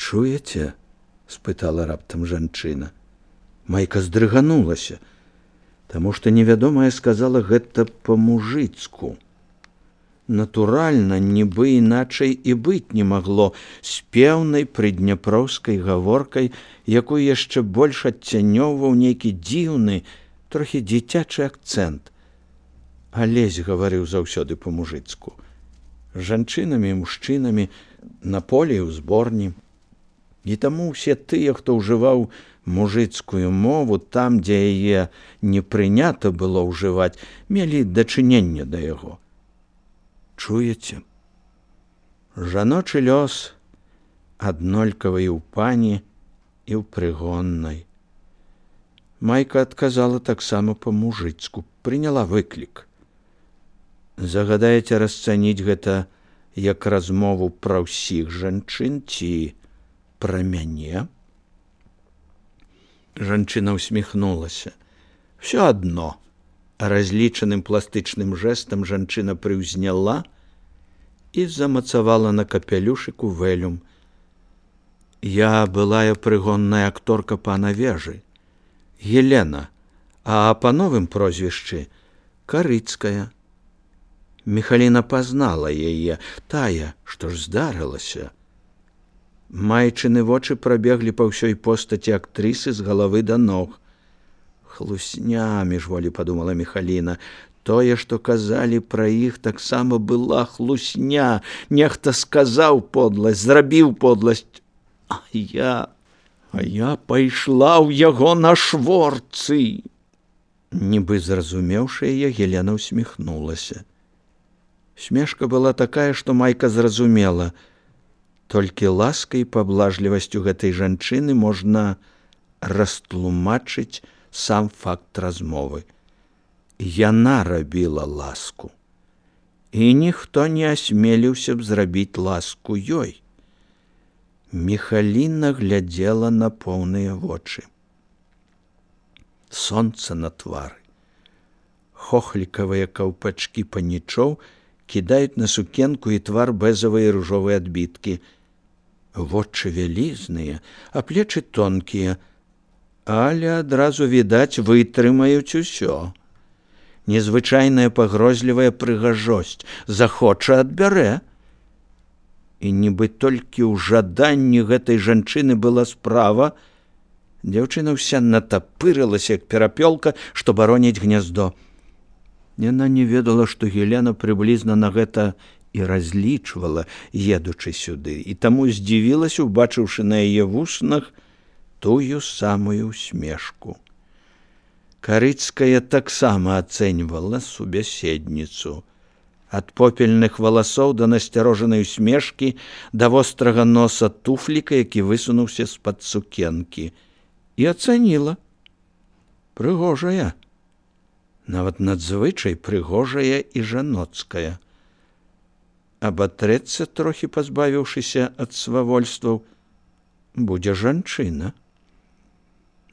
Чуеце? Спытала раптам жанчына. Майка здрыганулася, таму што невядомая сказала гэта па-мужыцку. Натуральна, нібы іначай і быць не магло, з пеўнай прыдняпроўскай гаворкай, якую яшчэ больш адцянёўваў нейкі дзіўны, трохі дзіцячы акцэнт. Алесь гаварыў заўсёды па-мужыцку. Жанчынамі і мужчынамі, на полі і ў зборні. І таму ўсе тыя, хто ўжываў мужыцкую мову там, дзе яе не прынята было ўжываць, мелі дачыненне да яго. Чуеце? Жаночы лёс аднолькавы і ў пані, і ў прыгоннай. Майка адказала таксама па-мужыцку, прыняла выклік. Загадаеце расцаніць гэта як размову пра ўсіх жанчын ці пра мяне? Жанчына усміхнулася. Всё адно. Разлічаным пластычным жэстам жанчына прыўзняла і замацавала на капялюшыку вэлюм. Я былая прыгонная акторка пана Вежы. Елена, а па новым прозвішчы Карыцкая. Міхаліна пазнала яе, тая, што ж здарылася. Майчыны вочы прабеглі па ўсёй постаці актрысы з галавы да ног. Хлусня, міжволі падумала Міхаліна. Тое, што казалі пра іх, таксама была хлусня. Нехта сказаў подласць, зрабіў подласць. А я пайшла ў яго на шворцы. Нібы зразумеўшы яе, Елена усміхнулася. Смешка была такая, што Майка зразумела. Толькі ласкай і паблажлівасцю гэтай жанчыны можна растлумачыць сам факт размовы. Яна рабіла ласку. І ніхто не асмеліўся б зрабіць ласку ёй. Міхаліна глядзела на поўныя вочы. Сонца на твары. Хохлікавыя каўпачкі панічоў кідаюць на сукенку і твар бэзавыя ружовыя адбіткі. Вочы вялізныя, а плечы тонкія, але адразу відаць вытрымаюць усё. Незвычайная пагрозлівая прыгажосць, захоча адбярэ. І нібы толькі ў жаданні гэтай жанчыны была справа, дзяўчына ўся натапырылася, як перапёлка, што бароніць гняздо. Яна не ведала, што Елена прыблізна на гэта і разлічвала, едучы сюды, і таму здзівілася, убачыўшы на яе вуснах тую самую усмешку. Карыцкая таксама ацэньвала субяседніцу. Ад попельных валасоў да насцярожанай усмешкі, да вострага носа туфліка, які высунуўся з-пад сукенкі. І ацаніла. Прыгожая. Нават надзвычай прыгожая і жаноцкая. Абатрэцца, трохі пазбавіўшыся ад свавольстваў, будзе жанчына.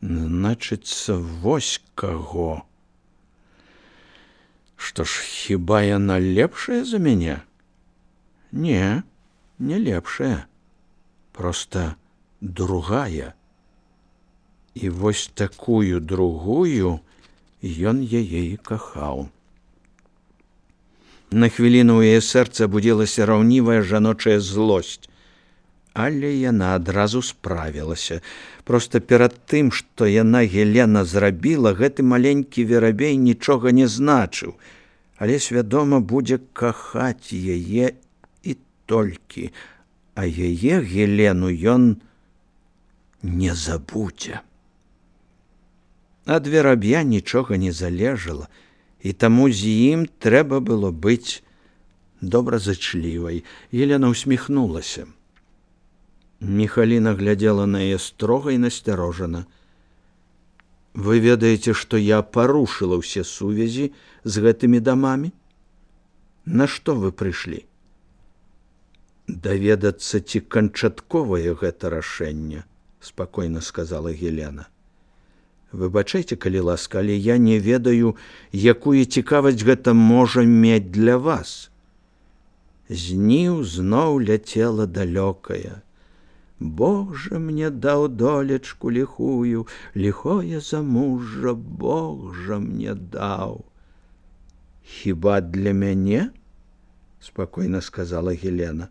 Значыцца, вось каго. Што ж, хіба яна лепшая за мяне? Не, не лепшая. Проста другая. І вось такую другую ён яе і кахаў. На хвіліну ў яе сэрца будзілася раўнівая жаночая злосць. Але яна адразу справілася. Проста перад тым, што яна, Елена, зрабіла, гэты маленькі верабей нічога не значыў. Але свядома будзе кахаць яе і толькі. А яе, Елену, ён не забудзе. Ад вераб'я нічога не залежала, і таму з ім трэба было быць добразычлівай. Елена усміхнулася. Міхаліна глядзела на яе строга і насцярожана. Вы ведаеце, што я парушыла ўсе сувязі з гэтымі дамамі? На што вы прыйшлі? Даведацца, ці канчатковае гэта рашэнне, спакойна сказала Елена. Выбачайце, калі ласка, але я не ведаю, якую цікавасць гэта можа мець для вас. Зніў зноў ляцела далёкая. Бог жа мне даў долечку ліхую, ліхое замужжа Бог жа мне даў. Хіба для мяне? Спакойна сказала Гелена.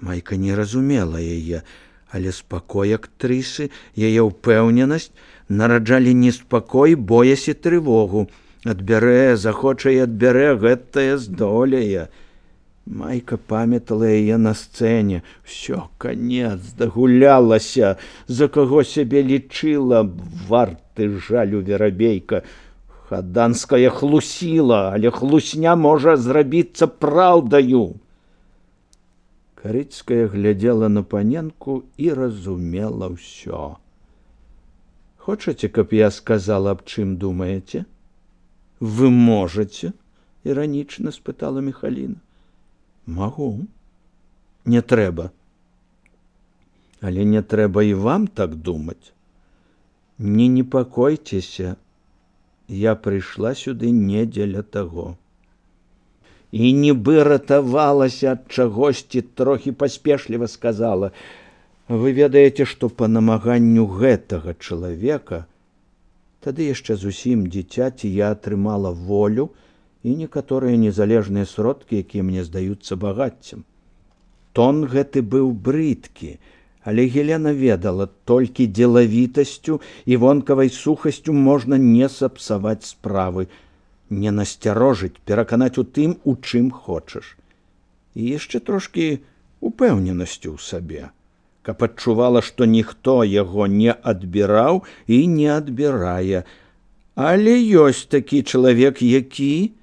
Майка не разумела яе, але спакой актрысы, яе ўпэўненасць нараджалі неспакой, боязь і трывогу. Адбярэ, захоча і адбярэ, гэтае здолее. Майка памятала яе на сцэне. Всё, канец, дагулялася, за каго сябе лічыла, варты жалю верабейка. Хаданская хлусіла, але хлусня можа зрабіцца праўдаю. Карыцкая глядзела на паненку і разумела ўсё. Хочаце, каб я сказала, аб чым думаеце? Вы можаце? Іранічна спытала Міхаліна. Магу. Не трэба. Але не трэба і вам так думаць. Не непакойцеся. Я прыйшла сюды не дзеля таго. І нібы ратавалася ад чагосьці, трохі паспешліва сказала: вы ведаеце, што па намаганню гэтага чалавека, тады яшчэ зусім дзіцяці, я атрымала волю і некаторыя незалежныя сродкі, якія мне здаюцца багаццем. Тон гэты быў брыдкі, але Гелена ведала, толькі дзелавітасцю і вонкавай сухасцю можна не сапсаваць справы, не насцярожыць, пераканаць у тым, у чым хочаш. І яшчэ трошкі упэўненасцю ў сабе, каб адчувала, што ніхто яго не адбіраў і не адбірае. Але ёсць такі чалавек, які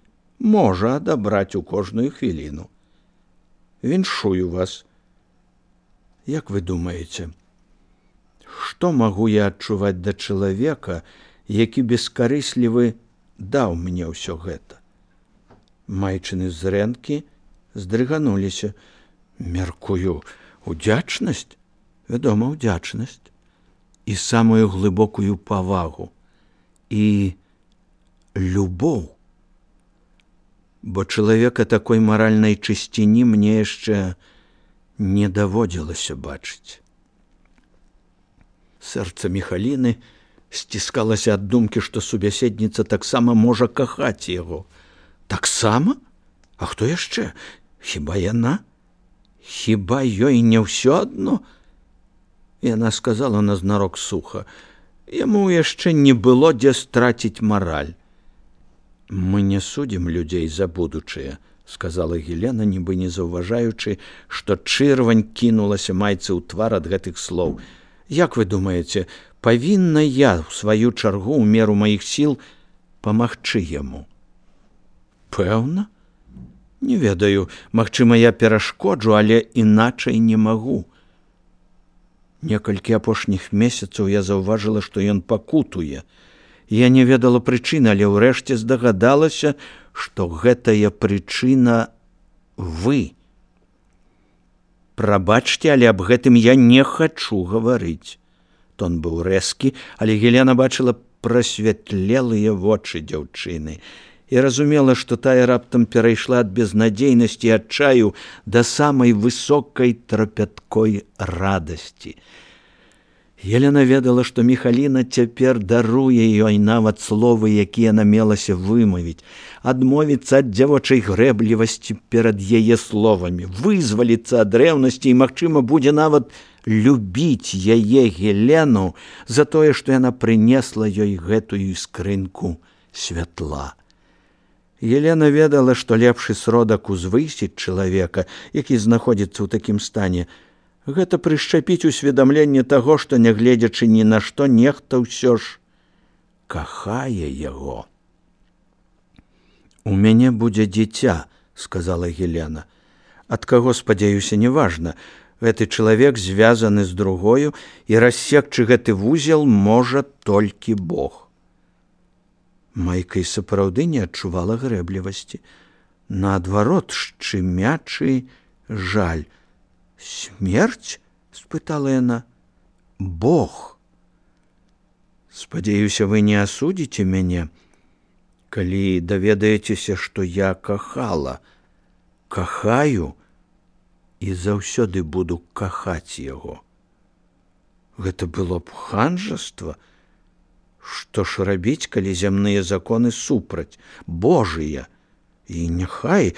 можа адабраць у кожную хвіліну. Віншую вас. Як вы думаеце, што магу я адчуваць да чалавека, які бескарыслівы даў мне ўсё гэта? Майчыны зрэнкі здрыгануліся. Мяркую, удзячнасць? Вядома, удзячнасць. І самую глыбокую павагу. І любоў. Бо чалавека такой маральнай чысціні мне яшчэ не даводзілася бачыць. Сэрца Міхаліны сціскалася ад думкі, што субяседніца таксама можа кахаць яго. Таксама? А хто яшчэ? Хіба яна? Хіба ёй не ўсё адно? Яна сказала назнарок суха. Яму яшчэ не было дзе страціць мараль. Мы не судзім людзей за будучае, сказала Гелена, нібы не заўважаючы, што чырвань кінулася майцы ў твар ад гэтых слоў. Як вы думаеце, павінна я, у сваю чаргу, у меру маіх сіл, памагчы яму? Пэўна? Не ведаю, магчыма, я перашкоджу, але іначай не магу. Некалькі апошніх месяцаў я заўважыла, што ён пакутуе. Я не ведала прычыны, але ўрэшце здагадалася, што гэтая прычына вы. Прабачце, але аб гэтым я не хачу гаварыць. Тон быў рэзкі, але Гелена бачыла прасвятлелыя вочы дзяўчыны і разумела, што тая раптам перайшла ад безнадзейнасці і адчаю да самай высокай трапяткой радасці. Елена ведала, што Міхаліна цяпер даруе ёй нават словы, якія намелася вымавіць, адмовіцца ад дзявочай грэблівасці перад яе словамі, вызваліцца ад рэўнасці і, магчыма, будзе нават любіць яе Гелену за тое, што яна прынесла ёй гэтую скрынку святла. Елена ведала, што лепшы сродак узвысіць чалавека, які знаходзіцца ў такім стане, гэта прышчапіць усведамленне таго, што, нягледзячы ні на што, нехта ўсё ж кахае яго. У мяне будзе дзіця, сказала Гелена. Ад каго, спадзяюся, неважна. Гэты чалавек звязаны з другою, і рассекчы гэты вузел можа толькі Бог. Майка і сапраўды не адчувала грэблівасці. Наадварот, шчымячы жаль. «Смерць?» – спытала яна. «Бог. Спадзяюся, вы не асудзіце мяне, калі даведаецеся, што я кахала, кахаю і заўсёды буду кахаць яго». Гэта было б ханжаства. Што ж рабіць, калі зямныя законы супраць, Божыя? І няхай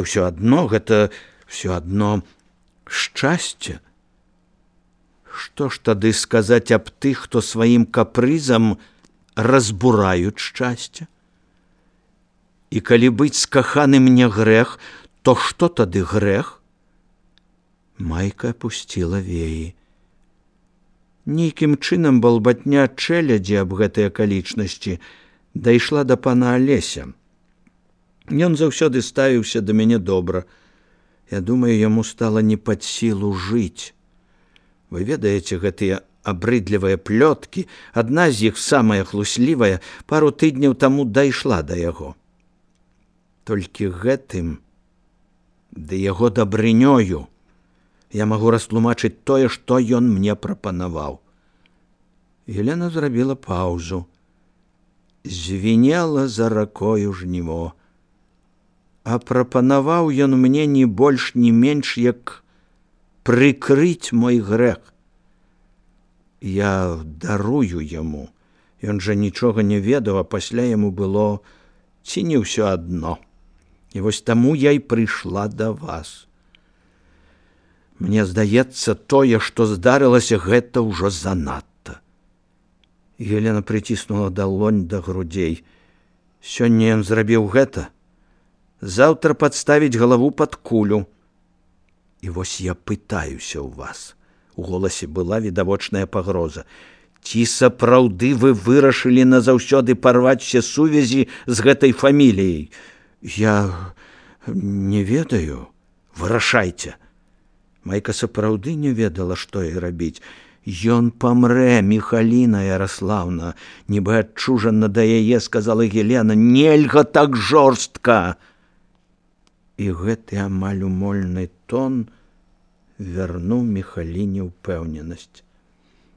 ўсё адно, гэта ўсё адно шчасце. Што ж тады сказаць аб тых, хто сваім капрызам разбураюць шчасце? І калі быць скаханым не грэх, то што тады грэх? Майка апусціла веі. Нейкім чынам балбатня чэлядзі аб гэтай акалічнасці дайшла да пана Алеся. Ён заўсёды ставіўся да мяне добра. Я думаю, яму стала не пад сілу жыць. Вы ведаеце гэтыя абрыдлівыя плёткі, адна з іх, самая хлуслівая, пару тыдняў таму дайшла да яго. Толькі гэтым, ды яго дабрынёю, я магу растлумачыць тое, што ён мне прапанаваў. Елена зрабіла паўзу. Звінела за ракою жніво. А прапанаваў ён мне ні больш, ні менш, як прыкрыць мой грэх. Я дарую яму. Ён жа нічога не ведаў, а пасля яму было ці не ўсё адно. І вось таму я і прыйшла да вас. Мне здаецца, тое, што здарылася, гэта ўжо занадта. Елена прыціснула далонь да грудзей. Сёння ён зрабіў гэта, заўтра падставіць галаву пад кулю. І вось я пытаюся ў вас. У голасе была відавочная пагроза. Ці сапраўды вы вырашылі назаўсёды парваць усе сувязі з гэтай фаміліяй? Я не ведаю. Вырашайце. Майка сапраўды не ведала, што і рабіць. Ён памрэ, Міхаліна Яраслаўна, нібы адчужана да яе, сказала Елена, нельга так жорстка. І гэты амаль умольны тон вярнуў Міхаліне ўпэўненасць.